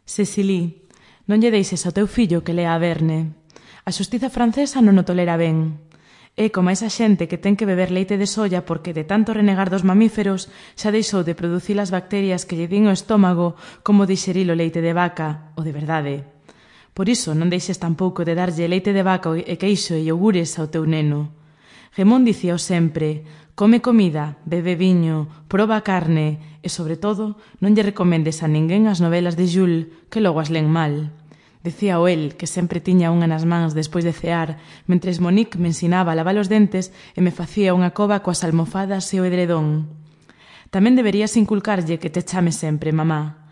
Cecily, non lle deixes ao teu fillo que lea a Verne. A xustiza francesa non o tolera ben. É como esa xente que ten que beber leite de soia porque de tanto renegar dos mamíferos xa deixou de producir as bacterias que lle din o estómago como dixerir o leite de vaca, o de verdade. Por iso non deixes tampouco de darlle leite de vaca e queixo e iogures ao teu neno. Gemón dicíao sempre: come comida, bebe viño, proba carne e, sobre todo, non lle recomendes a ninguén as novelas de Jules, que logo as len mal. Decía o el, que sempre tiña unha nas mans despois de cear, mentres Monique me ensinaba a lavar os dentes e me facía unha cova coas almofadas e o edredón. Tamén deberías inculcarlle que te chame sempre mamá.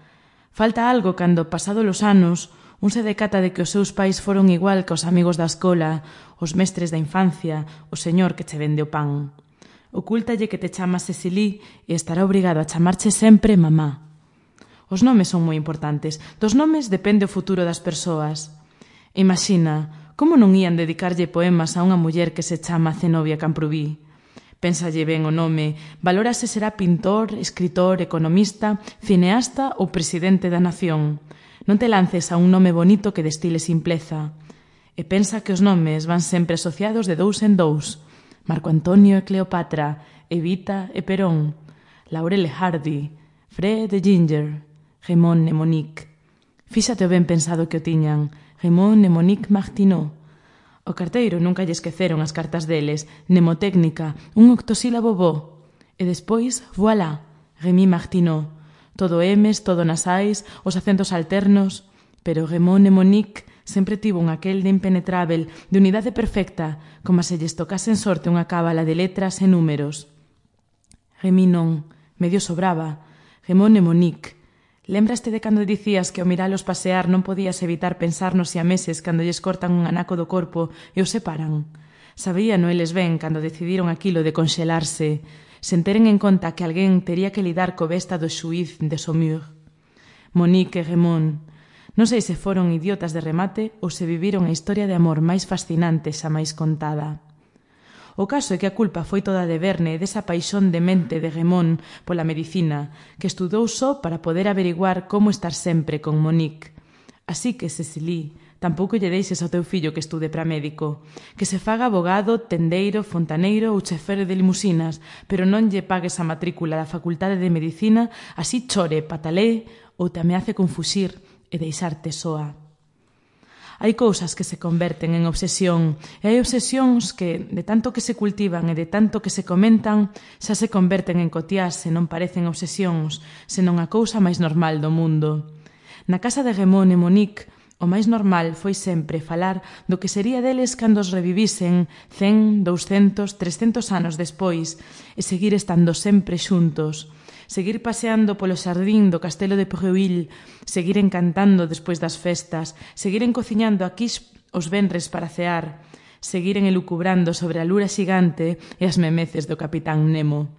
Falta algo cando, pasado os anos, un se decata de que os seus pais foron igual que os amigos da escola, os mestres da infancia, o señor que che vende o pan. Ocúltalle que te chamas Cecily e estará obrigado a chamarche sempre mamá. Os nomes son moi importantes. Dos nomes depende o futuro das persoas. Imagina, como non ían dedicarlle poemas a unha muller que se chama Zenobia Camprubí? Pénsalle ben o nome, valora se será pintor, escritor, economista, cineasta ou presidente da nación. Non te lances a un nome bonito que destile simpleza. E pensa que os nomes van sempre asociados de dous en dous. Marco Antonio e Cleopatra, Evita e Perón, Laurel e Hardy, Fred e Ginger, Raymond e Monique. Fíxate o ben pensado que o tiñan, Raymond e Monique Martineau. O carteiro nunca lle esqueceron as cartas deles, mnemotécnica, un octosílabo bo. E despois, voilà, Rémy Martineau. Todo M's, todo nasais, os acentos alternos. Pero Raymond e Monique sempre tivo un aquel de impenetrável, de unidade perfecta, como se lles tocase en sorte unha cábala de letras e números. Rémy non, medio sobraba. Raymond e Monique. Lembraste de cando dicías que ao miralos pasear non podías evitar pensar nos siameses cando lles cortan un anaco do corpo e os separan? Sabíano eles ben cando decidiron aquilo de conxelarse, sen teren en conta que alguén tería que lidar co besta do xuíz de Saumur. Monique e Raymond. Non sei se foron idiotas de remate ou se viviron a historia de amor máis fascinante xa máis contada. O caso é que a culpa foi toda de Verne e desa paixón demente de Raymond pola medicina, que estudou só para poder averiguar como estar sempre con Monique. Así que, Cecily, tampouco lle deixes ao teu fillo que estude para médico, que se faga abogado, tendeiro, fontaneiro ou chofer de limusinas, pero non lle pagues a matrícula da Facultade de Medicina, así chore, patalee ou te ameace con fuxir e deixarte soa. Hai cousas que se converten en obsesión e hai obsesións que, de tanto que se cultivan e de tanto que se comentan, xa se converten en cotiás e non parecen obsesións, senón a cousa máis normal do mundo. Na casa de Raymond e Monique, o máis normal foi sempre falar do que sería deles cando os revivisen 100, 200, 300 anos despois e seguir estando sempre xuntos. Seguir paseando polo xardín do castelo de Preuil, seguir encantando despois das festas, seguiren cociñando aquí os venres para cear, seguiren elucubrando sobre a lura xigante e as memeces do capitán Nemo.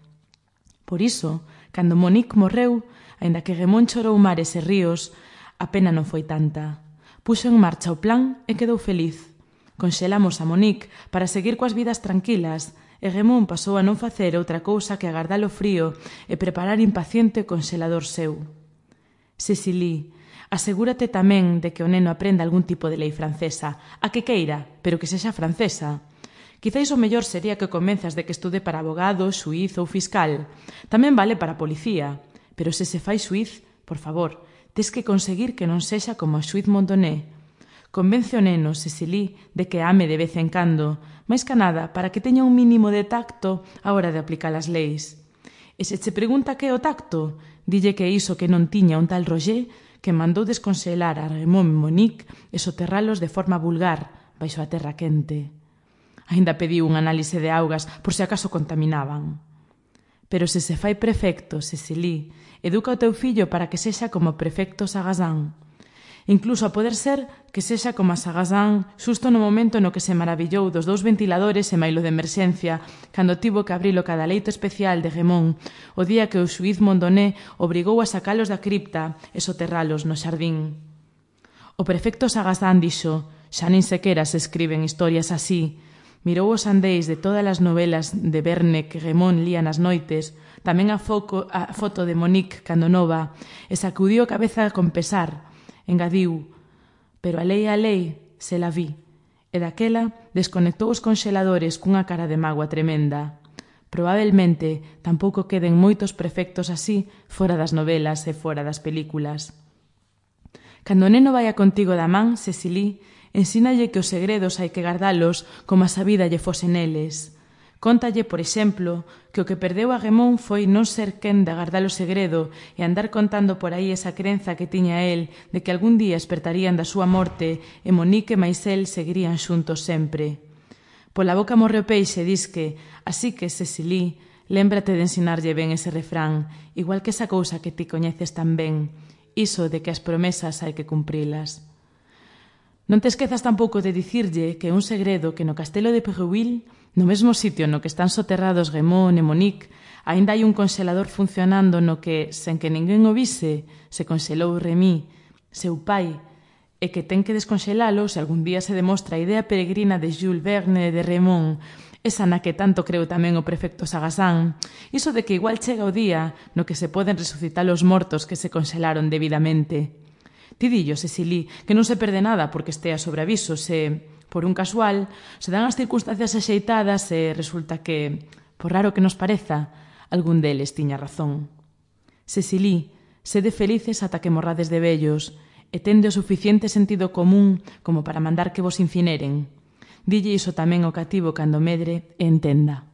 Por iso, cando Monique morreu, aínda que Raymond chorou mares e ríos, a pena non foi tanta. Puxo en marcha o plan e quedou feliz. Conxelamos a Monique para seguir coas vidas tranquilas, e Raymond pasou a non facer outra cousa que agardar o frío e preparar impaciente o conxelador seu. Cecily, asegúrate tamén de que o neno aprenda algún tipo de lei francesa, a que queira, pero que sexa francesa. Quizáis o mellor sería que convenzas de que estude para abogado, xuíz ou fiscal. Tamén vale para policía, pero se se fai xuíz, por favor, tes que conseguir que non sexa como o xuíz Mondoné. Convence o neno, Cecily, de que ame de vez en cando, máis que nada para que teña un mínimo de tacto á hora de aplicar as leis. E se che pregunta que é o tacto, dille que é iso que non tiña un tal Roger que mandou desconselar a Raymond e Monique e soterralos de forma vulgar baixo a terra quente. Aínda pediu un análise de augas por se acaso contaminaban. Pero se se fai prefecto, Cecily, educa o teu fillo para que sexa como o prefecto Sagazán. Incluso a poder ser que sexa como a Sagazán xusto no momento no que se maravillou dos 2 ventiladores e mailo de emerxencia cando tivo que abrir o cadaleito especial de Raymond o día que o xuíz Mondoné obrigou a sacalos da cripta e soterralos no xardín. O prefecto Sagazán dixo: xa nin sequera se escriben historias así. Mirou os andeis de todas as novelas de Verne que Raymond lía nas noites, tamén a foto de Monique cando nova, e sacudiu a cabeza con pesar, Engadiu, pero a lei, se la vi, e daquela desconectou os conxeladores cunha cara de mágoa tremenda. Probablemente tampouco queden moitos prefectos así fora das novelas e fora das películas. Cando o neno vaia contigo da man, Cecily, ensínalle que os segredos hai que gardalos como a sa vida lle fose neles. Cóntalle, por exemplo, que o que perdeu a Raymond foi non ser quen de agardar o segredo e andar contando por aí esa crenza que tiña el de que algún día espertarían da súa morte e Monique e máis el seguirían xuntos sempre. Pola boca morre o peixe, disque, así que, Cecily, lémbrate de ensinarlle ben ese refrán, igual que esa cousa que ti coñeces tan ben, iso de que as promesas hai que cumprilas. Non te esquezas tampouco de dicirlle que é un segredo que no castelo de Perruil, no mesmo sitio no que están soterrados Raymond e Monique, aínda hai un conxelador funcionando no que, sen que ninguén o vise, se conxelou Remy, seu pai, e que ten que desconxelalo se algún día se demostra a idea peregrina de Jules Verne e de Raymond, esa na que tanto creu tamén o prefecto Sagazán, iso de que igual chega o día no que se poden resucitar os mortos que se conxelaron debidamente. Ti dillo, Cecily, que non se perde nada porque estea sobre aviso se, por un casual, se dan as circunstancias axeitadas e resulta que, por raro que nos pareza, algún deles tiña razón. Cecily, sede felices ata que morrades de vellos e tende o suficiente sentido común como para mandar que vos incineren. Dille iso tamén ao cativo cando medre e entenda.